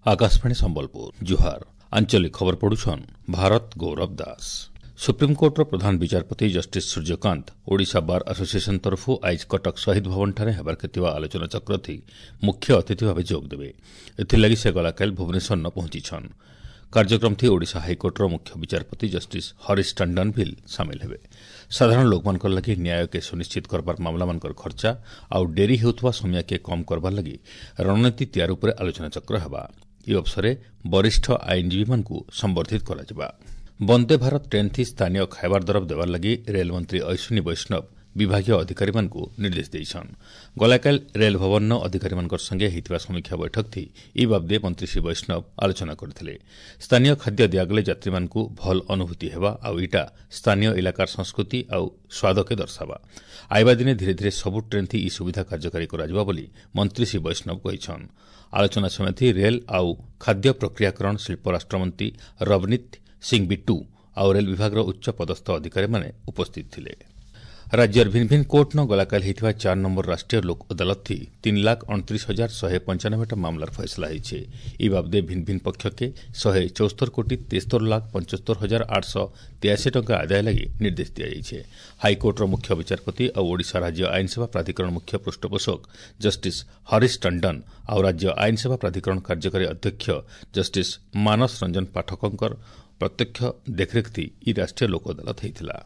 ଆକାଶବାଣୀ ସମ୍ବଲପୁର, ଜୁହାର। ଆଞ୍ଚଳିକ ଖବର ପଢୁଛନ୍ ଭାରତ ଗୌରବ ଦାସ। ସୁପ୍ରିମକୋର୍ଟର ପ୍ରଧାନ ବିଚାରପତି justice Suryakant Odisha bar association ତରଫରୁ ଆଇଜ୍ କଟକ ଶହୀଦ ଭବନଠାରେ ହେବାର୍କେ ଥିବା ଆଲୋଚନାଚକ୍ରଥି ମୁଖ୍ୟ ଅତିଥି ଭାବେ ଯୋଗଦେବେ। ଏଥିର୍ଲାଗି ସେ ଗଲାକାଲି ଭୁବନେଶ୍ୱରନ ପହଞ୍ଚିଛନ୍। କାର୍ଯ୍ୟକ୍ରମଥି ଓଡ଼ିଶା ହାଇକୋର୍ଟର ମୁଖ୍ୟ ବିଚାରପତି ଜଷ୍ଟିସ୍ ହରିଶ ଟଣ୍ଡନ ଭିଲ୍ ସାମିଲ ହେବେ। ସାଧାରଣ ଲୋକମାନଙ୍କର ଲାଗି ନ୍ୟାୟକେ ସୁନିଶ୍ଚିତ କରବାର ମାମଲାମାନଙ୍କର ଖର୍ଚ୍ଚା ଆଉ ଡେରି ହେଉଥିବା ସମୟକେ କମ୍ କରବାର ଲାଗି ରଣନୀତି ତିଆରି ଉପରେ ଆଲୋଚନାଚକ୍ର ହେବା। ଏହି ଅବସରରେ ବରିଷ୍ଠ ଆଇନଜୀବୀମାନଙ୍କୁ ସମ୍ବର୍ଦ୍ଧିତ କରାଯିବା। ବନ୍ଦେ ଭାରତ ଟ୍ରେନ୍ଥି ସ୍ଥାନୀୟ ଖାଇବାର ଦରବ ଦେବାର ଲାଗି ରେଲମନ୍ତ୍ରୀ ଅଶ୍ୱିନୀ ବୈଷ୍ଣବ ବିଭାଗୀୟ ଅଧିକାରୀମାନଙ୍କୁ ନିର୍ଦ୍ଦେଶ ଦେଇଛନ୍। ଗଲାକାଲି ରେଲ ଭବନର ଅଧିକାରୀମାନଙ୍କ ସଙ୍ଗେ ହୋଇଥିବା ସମୀକ୍ଷା ବୈଠକଥି ଇ ବାବଦେ ମନ୍ତ୍ରୀ ଶ୍ରୀ ବୈଷ୍ଣବ ଆଲୋଚନା କରିଥିଲେ। ସ୍ଥାନୀୟ ଖାଦ୍ୟ ଦିଆଗଲେ ଯାତ୍ରୀମାନଙ୍କୁ ଭଲ ଅନୁଭୂତି ହେବା ଆଉ ଇଟା ସ୍ଥାନୀୟ ଇଲାକାର ସଂସ୍କୃତି ଆଉ ସ୍ୱାଦକେ ଦର୍ଶାବା। ଆଇବା ଦିନେ ଧୀରେ ଧୀରେ ସବୁ ଟ୍ରେନ୍ଥି ଇ ସୁବିଧା କାର୍ଯ୍ୟକାରୀ କରାଯିବା ବୋଲି ମନ୍ତ୍ରୀ ଶ୍ରୀ ବୈଷ୍ଣବ କହିଛନ୍। ଆଲୋଚନା ସମୟଥି ରେଲ୍ ଆଉ ଖାଦ୍ୟ ପ୍ରକ୍ରିୟାକରଣ ଶିଳ୍ପ ରାଷ୍ଟ୍ରମନ୍ତ୍ରୀ ରବନୀତ ସିଂ ବିଟ୍ଟୁ ଆଉ ରେଲ୍ ବିଭାଗର ଉଚ୍ଚ ପଦସ୍ଥ ଅଧିକାରୀମାନେ ଉପସ୍ଥିତ ଥିଲେ। ରାଜ୍ୟର ଭିନ୍ ଭିନ୍ କୋର୍ଟନ ଗଲାକାଲି ହୋଇଥିବା 4 ନମ୍ବର ରାଷ୍ଟ୍ରୀୟ ଲୋକ ଅଦାଲତଥି 3,29,195ଟା ମାମଲାର ଫଇସଲା ହୋଇছে। ଇ ବାବଦେ ଭିନ୍ ଭିନ୍ ପକ୍ଷକେ 174,73,75,883 ଟଙ୍କା ଆଦାୟ ଲାଗି ନିର୍ଦ୍ଦେଶ ଦିଆଯାଇଛି। ହାଇକୋର୍ଟର ମୁଖ୍ୟ ବିଚାରପତି ଆଉ ଓଡ଼ିଶା ରାଜ୍ୟ ଆଇନସେବା ପ୍ରାଧିକରଣ ମୁଖ୍ୟ ପୃଷ୍ଠପୋଷକ ଜଷ୍ଟିସ୍ ହରିଶ ଟଣ୍ଡନ ଆଉ ରାଜ୍ୟ ଆଇନସେବା ପ୍ରାଧିକରଣ କାର୍ଯ୍ୟକାରୀ ଅଧ୍ୟକ୍ଷ ଜଷ୍ଟିସ୍ ମାନସ ରଞ୍ଜନ ପାଠକଙ୍କର ପ୍ରତ୍ୟକ୍ଷ ଦେଖରେଖଥି ଇ ରାଷ୍ଟ୍ରୀୟ ଲୋକ ଅଦାଲତ ହୋଇଥିଲା।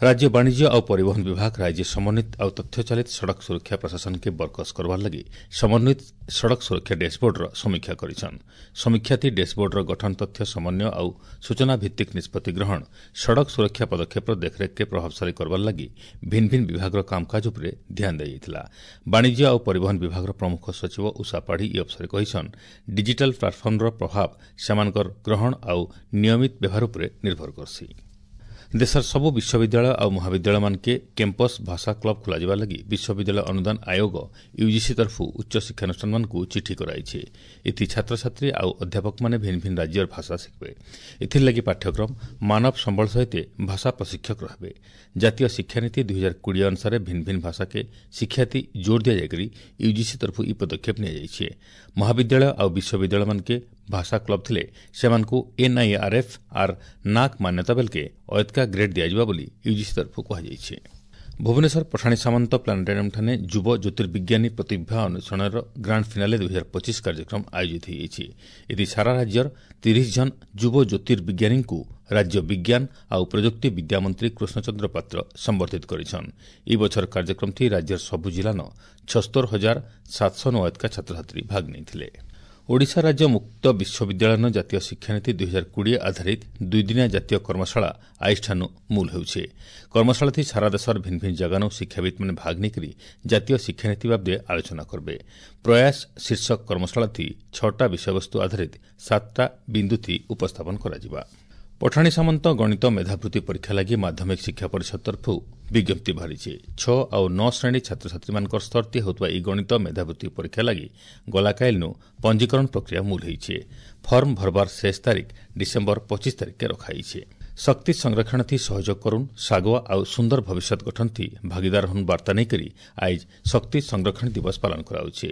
ରାଜ୍ୟ ବାଣିଜ୍ୟ ଆଉ ପରିବହନ ବିଭାଗ ରାଜ୍ୟ ସମନ୍ୱିତ ଆଉ ତଥ୍ୟଚାଳିତ ସଡ଼କ ସୁରକ୍ଷା ପ୍ରଶାସନକେ ବରକସ କରବାର ଲାଗି ସମନ୍ୱିତ ସଡ଼କ ସୁରକ୍ଷା ଡ୍ୟାସବୋର୍ଡର ସମୀକ୍ଷା କରିଛନ୍। ସମୀକ୍ଷାଥି ଡ୍ୟାସବୋର୍ଡର ଗଠନ, ତଥ୍ୟ ସମନ୍ୱୟ ଆଉ ସୂଚନା ଭିତ୍ତିକ ନିଷ୍ପତ୍ତି ଗ୍ରହଣ, ସଡ଼କ ସୁରକ୍ଷା ପଦକ୍ଷେପର ଦେଖରେଖକେ ପ୍ରଭାବଶାଳୀ କରବାର ଲାଗି ଭିନ୍ ଭିନ୍ ବିଭାଗର କାମକାଜ ଉପରେ ଧ୍ୟାନ ଦିଆଯାଇଥିଲା। ବାଣିଜ୍ୟ ଆଉ ପରିବହନ ବିଭାଗର ପ୍ରମୁଖ ସଚିବ ଉଷା ପାଢ଼ୀ ଇ ଅବସରରେ କହିଛନ୍, ଡିଜିଟାଲ ପ୍ଲାଟଫର୍ମର ପ୍ରଭାବ ସେମାନଙ୍କର ଗ୍ରହଣ ଆଉ ନିୟମିତ ବ୍ୟବହାର ଉପରେ ନିର୍ଭର କରସି। ଦେଶର ସବୁ ବିଶ୍ୱବିଦ୍ୟାଳୟ ଆଉ ମହାବିଦ୍ୟାଳୟମାନକେ କ୍ୟାମ୍ପସ୍ ଭାଷା କ୍ଲବ୍ ଖୋଲାଯିବା ଲାଗି ବିଶ୍ୱବିଦ୍ୟାଳୟ ଅନୁଦାନ ଆୟୋଗ ୟୁଜିସି ତରଫରୁ ଉଚ୍ଚ ଶିକ୍ଷାନୁଷ୍ଠାନମାନଙ୍କୁ ଚିଠି କରାଯାଇଛି। ଏଥି ଛାତ୍ରଛାତ୍ରୀ ଆଉ ଅଧ୍ୟାପକମାନେ ଭିନ୍ ଭିନ୍ ରାଜ୍ୟର ଭାଷା ଶିଖିବେ। ଏଥିର୍ଲାଗି ପାଠ୍ୟକ୍ରମ ମାନବ ସମ୍ବଳ ସହିତ ଭାଷା ପ୍ରଶିକ୍ଷକ ରହିବେ। ଜାତୀୟ ଶିକ୍ଷାନୀତି 2020 ଅନୁସାରେ ଭିନ୍ ଭିନ୍ ଭାଷାକେ ଶିକ୍ଷାତି ଜୋର ଦିଆଯାଇକରି ୟୁଜିସି ତରଫରୁ ଇ ପଦକ୍ଷେପ ନିଆଯାଇଛି। ମହାବିଦ୍ୟାଳୟ ଆଉ ବିଶ୍ୱବିଦ୍ୟାଳୟମାନକେ ଭାଷା କ୍ଲବ୍ ଥିଲେ ସେମାନଙ୍କୁ ଏନ୍ଆଇଆର୍ଏଫ୍ ଆର୍ ନାକ୍ ମାନ୍ୟତା ବେଲକେ ଅୟତ୍କା ଗ୍ରେଡ୍ ଦିଆଯିବ ବୋଲି ୟୁଜିସି ତରଫରୁ କୁହାଯାଇଛି। ଭୁବନେଶ୍ୱର ପଠାଣି ସାମନ୍ତ ପ୍ଲାନେଟାରିୟମ୍ଠାରେ ଯୁବ ଜ୍ୟୋତିର୍ବିଜ୍ଞାନୀ ପ୍ରତିଭା ଅନ୍ୱେଷଣର ଗ୍ରାଣ୍ଡ ଫିନାଲେ 2025 କାର୍ଯ୍ୟକ୍ରମ ଆୟୋଜିତ ହୋଇଯାଇଛି। ଏଥି ସାରା ରାଜ୍ୟର 30 ଜଣ ଯୁବ ଜ୍ୟୋତିର୍ବିଜ୍ଞାନୀଙ୍କୁ ରାଜ୍ୟ ବିଜ୍ଞାନ ଆଉ ପ୍ରଯୁକ୍ତି ବିଦ୍ୟାମନ୍ତ୍ରୀ କୃଷ୍ଣଚନ୍ଦ୍ର ପାତ୍ର ସମ୍ବର୍ଦ୍ଧିତ କରିଛନ୍। ଏହି ବଛର କାର୍ଯ୍ୟକ୍ରମଥି ରାଜ୍ୟର ସବୁ ଜିଲ୍ଲାନ 76,709 ଅୟତ୍କା ଛାତ୍ରଛାତ୍ରୀ ଭାଗ ନେଇଥିଲେ। ଓଡ଼ିଶା ରାଜ୍ୟ ମୁକ୍ତ ବିଶ୍ୱବିଦ୍ୟାଳୟର ଜାତୀୟ ଶିକ୍ଷାନୀତି 2020 ଆଧାରିତ ଦୁଇଦିନିଆ ଜାତୀୟ କର୍ମଶାଳା ଆଇଷ୍ଠାନୁ ମୂଲ ହେଉଛି। କର୍ମଶାଳାଥି ସାରା ଦେଶର ଭିନ୍ ଭିନ୍ ଜାଗାନୁ ଶିକ୍ଷାବିତ୍ମାନେ ଭାଗ ନେଇକରି ଜାତୀୟ ଶିକ୍ଷାନୀତି ବାବଦେ ଆଲୋଚନା କରିବେ। ପ୍ରୟାସ ଶୀର୍ଷକ କର୍ମଶାଳାଥି 6ଟା ବିଷୟବସ୍ତୁ ଆଧାରିତ 7ଟା ବିନ୍ଦୁଥି ଉପସ୍ଥାପନ କରାଯିବା। ପଠାଣି ସାମନ୍ତ ଗଣିତ ମେଧାବୃତ୍ତି ପରୀକ୍ଷା ଲାଗି ମାଧ୍ୟମିକ ଶିକ୍ଷା ପରିଷଦ ତରଫରୁ ବିଜ୍ଞପ୍ତି ବାହାରିଛି। 6 ଆଉ 9 ଶ୍ରେଣୀ ଛାତ୍ରଛାତ୍ରୀମାନଙ୍କର ସ୍ତରତି ହେଉଥିବା ଏହି ଗଣିତ ମେଧାବୃତ୍ତି ପରୀକ୍ଷା ଲାଗି ଗଲାକାଲିନୁ ପଞ୍ଜୀକରଣ ପ୍ରକ୍ରିୟା ମୂଲ ହୋଇଛି। ଫର୍ମ ଭରବାର ଶେଷ ତାରିଖ ଡିସେମ୍ବର 25 ତାରିଖକେ ରଖାଯାଇଛି। ଶକ୍ତି ସଂରକ୍ଷଣଥି ସହଯୋଗ କରୁନ୍, ଶାଗୁଆ ଆଉ ସୁନ୍ଦର ଭବିଷ୍ୟତ ଗଠନଥି ଭାଗିଦାର ହନ୍ ବାର୍ତ୍ତା ନେଇକରି ଆଇଜ୍ ଶକ୍ତି ସଂରକ୍ଷଣ ଦିବସ ପାଳନ କରାଯାଉଛି।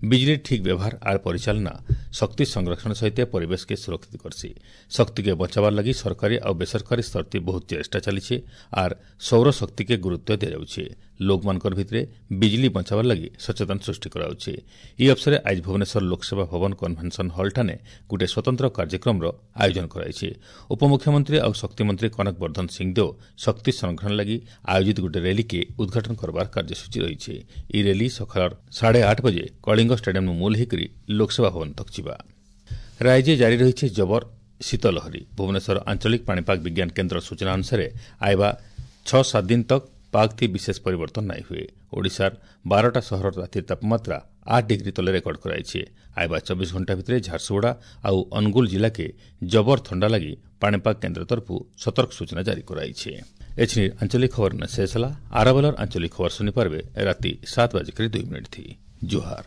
ବିଜୁଳି ଠିକ୍ ବ୍ୟବହାର ଆର୍ ପରିଚାଳନା ଶକ୍ତି ସଂରକ୍ଷଣ ସହିତ ପରିବେଶକେ ସୁରକ୍ଷିତ କରସି। ଶକ୍ତିକେ ବଞ୍ଚାବାର ଲାଗି ସରକାରୀ ଆଉ ବେସରକାରୀ ସ୍ତରତି ବହୁତ ଚେଷ୍ଟା ଚାଲିছে ଆର୍ ସୌର ଶକ୍ତିକେ ଗୁରୁତ୍ୱ ଦିଆଯାଉଛି। ଲୋକମାନଙ୍କର ଭିତରେ ବିଜୁଳି ବଞ୍ଚାବାର ଲାଗି ସଚେତନ ସୃଷ୍ଟି କରାଯାଉଛି। ଏହି ଅବସରରେ ଆଜି ଭୁବନେଶ୍ୱର ଲୋକସେବା ଭବନ କନଭେନସନ୍ ହଲ୍ଠାରେ ଗୋଟିଏ ସ୍ୱତନ୍ତ୍ର କାର୍ଯ୍ୟକ୍ରମର ଆୟୋଜନ କରାଯାଇଛି। ଉପମୁଖ୍ୟମନ୍ତ୍ରୀ ଆଉ ଶକ୍ତିମନ୍ତ୍ରୀ କନକ ବର୍ଦ୍ଧନ ସିଂଦେଓ ଶକ୍ତି ସଂରକ୍ଷଣ ଲାଗି ଆୟୋଜିତ ଗୋଟିଏ ର୍ୟାଲିକେ ଉଦ୍ଘାଟନ କରବାର କାର୍ଯ୍ୟସୂଚୀ ରହିଛି। ଏହି ର୍ୟାଲି ସକାଳ 8:30 ବଜେ କଳିଙ୍ଗ ଷ୍ଟାଡିୟମ୍ରୁ ମୂଲ ହୋଇକରି ଲୋକସେବା ଭବନ ତକ୍ ଯିବା। ରାଜ୍ୟରେ ଜାରି ରହିଛି ଜବର ଶୀତଲହରୀ। ଭୁବନେଶ୍ୱର ଆଞ୍ଚଳିକ ପାଣିପାଗ ବିଜ୍ଞାନ କେନ୍ଦ୍ର ସୂଚନା ଅନୁସାରେ ଆଇବା 6-7 ଦିନ ତକ୍ ପାଗ ଥି ବିଶେଷ ପରିବର୍ତ୍ତନ ନାଇଁ ହୁଏ। ଓଡ଼ିଶାର 12ଟା ସହରର ରାତିର ତାପମାତ୍ରା 8 ଡିଗ୍ରୀ ତଲେ ରେକର୍ଡ କରାଯାଇଛି। ଆଇବା 24 ଘଣ୍ଟା ଭିତରେ ଝାରସୁଗୁଡ଼ା ଆଉ ଅନୁଗୁଳ ଜିଲ୍ଲାକେ ଜବର ଥଣ୍ଡା ଲାଗି ପାଣିପାଗ କେନ୍ଦ୍ର ତରଫରୁ ସତର୍କ ସୂଚନା ଜାରି କରାଯାଇଛି। ଏଛିନି ଆଞ୍ଚଳିକ ଖବର ଶେଷ ହେଲା। ଆରବେଲର ଆଞ୍ଚଳିକ ଖବର ଶୁଣିପାରିବେ ରାତି 7:02 ଥି। ଜୁହାର।